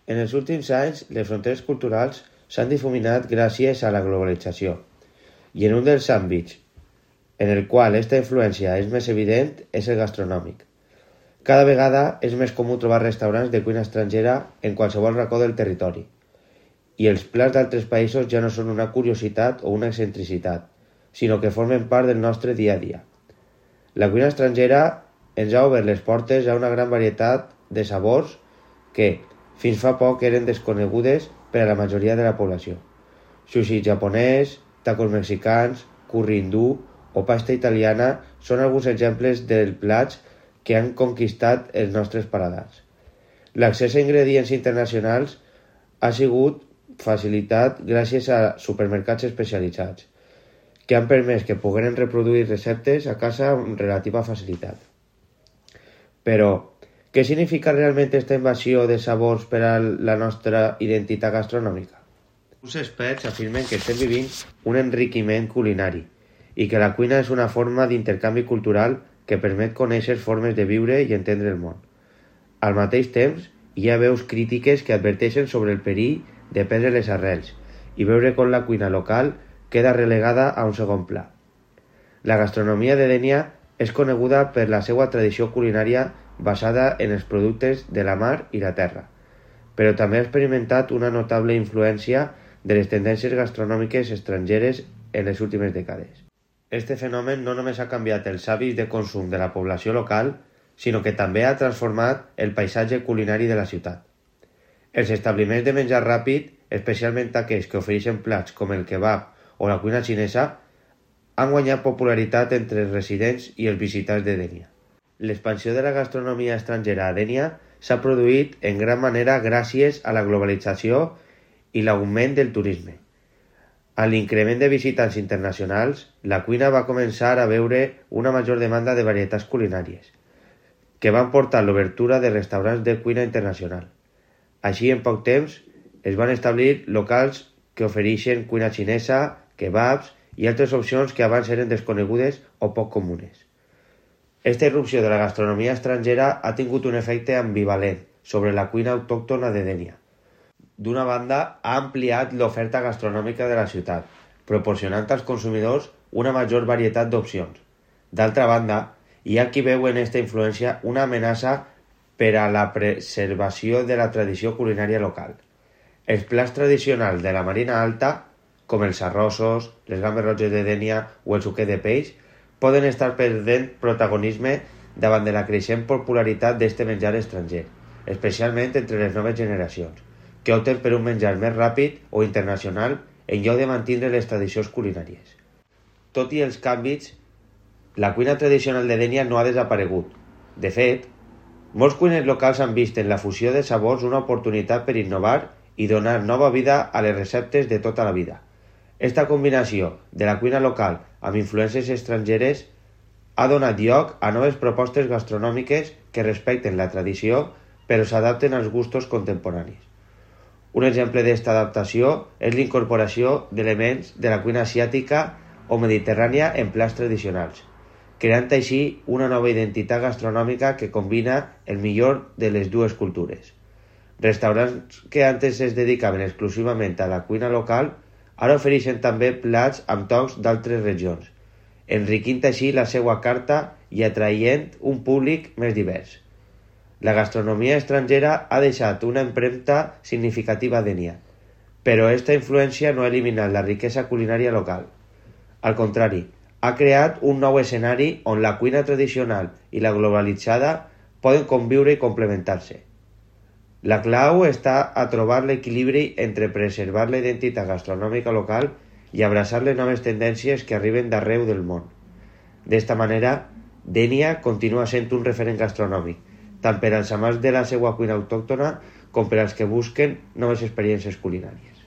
En els últims anys, les fronteres culturals s'han difuminat gràcies a la globalització, i en un dels àmbits en el qual aquesta influència és més evident és el gastronòmic. Cada vegada és més comú trobar restaurants de cuina estrangera en qualsevol racó del territori, i els plats d'altres països ja no són una curiositat o una excentricitat, sinó que formen part del nostre dia a dia. La cuina estrangera ens ha obert les portes a una gran varietat de sabors que, fins fa poc, eren desconegudes per a la majoria de la població. Sushi japonès, tacos mexicans, curri hindú o pasta italiana són alguns exemples dels plats que han conquistat els nostres paladars. L'accés a ingredients internacionals ha sigut facilitat gràcies a supermercats especialitzats, que han permès que pogueren reproduir receptes a casa amb relativa facilitat. Però, què significa realment aquesta invasió de sabors per a la nostra identitat gastronòmica? Uns experts afirmen que estem vivint un enriquiment culinari i que la cuina és una forma d'intercanvi cultural que permet conèixer formes de viure i entendre el món. Al mateix temps, hi ha veus crítiques que adverteixen sobre el perill de perdre les arrels i veure com la cuina local queda relegada a un segon pla. La gastronomia de Dénia és coneguda per la seva tradició culinària basada en els productes de la mar i la terra, però també ha experimentat una notable influència de les tendències gastronòmiques estrangeres en les últimes dècades. Este fenomen no només ha canviat els hàbits de consum de la població local, sinó que també ha transformat el paisatge culinari de la ciutat. Els establiments de menjar ràpid, especialment aquells que ofereixen plats com el kebab o la cuina xinesa, han guanyat popularitat entre els residents i els visitants de Dénia. L'expansió de la gastronomia estrangera a Dénia s'ha produït en gran manera gràcies a la globalització i l'augment del turisme. Amb l'increment de visitants internacionals, la cuina va començar a veure una major demanda de varietats culinàries, que van portar l'obertura de restaurants de cuina internacional. Així, en poc temps, es van establir locals que ofereixen cuina xinesa, kebabs i altres opcions que abans eren desconegudes o poc comunes. Esta irrupció de la gastronomia estrangera ha tingut un efecte ambivalent sobre la cuina autòctona de Dénia. D'una banda, ha ampliat l'oferta gastronòmica de la ciutat, proporcionant als consumidors una major varietat d'opcions. D'altra banda, hi ha qui veu en aquesta influència una amenaça per a la preservació de la tradició culinària local. Els plats tradicionals de la Marina Alta, com els arrossos, les gambes roges de Dénia o el suquet de peix, poden estar perdent protagonisme davant de la creixent popularitat d'este menjar estranger, especialment entre les noves generacions, que opten per un menjar més ràpid o internacional en lloc de mantenir les tradicions culinàries. Tot i els canvis, la cuina tradicional de Dénia no ha desaparegut. De fet, molts cuiners locals han vist en la fusió de sabors una oportunitat per innovar i donar nova vida a les receptes de tota la vida. Esta combinació de la cuina local amb influències estrangeres ha donat lloc a noves propostes gastronòmiques que respecten la tradició però s'adapten als gustos contemporanis. Un exemple d'esta adaptació és l'incorporació d'elements de la cuina asiàtica o mediterrània en plats tradicionals, creant així una nova identitat gastronòmica que combina el millor de les dues cultures. Restaurants que antes es dedicaven exclusivament a la cuina local ara ofereixen també plats amb tocs d'altres regions, enriquint així la seva carta i atraient un públic més divers. La gastronomia estrangera ha deixat una empremta significativa a Dénia, però aquesta influència no ha eliminat la riquesa culinària local. Al contrari, ha creat un nou escenari on la cuina tradicional i la globalitzada poden conviure i complementar-se. La clau està a trobar l'equilibri entre preservar la identitat gastronòmica local i abraçar les noves tendències que arriben d'arreu del món. D'esta manera, Dénia continua sent un referent gastronòmic, tant per als amants de la seva cuina autòctona com per als que busquen noves experiències culinàries.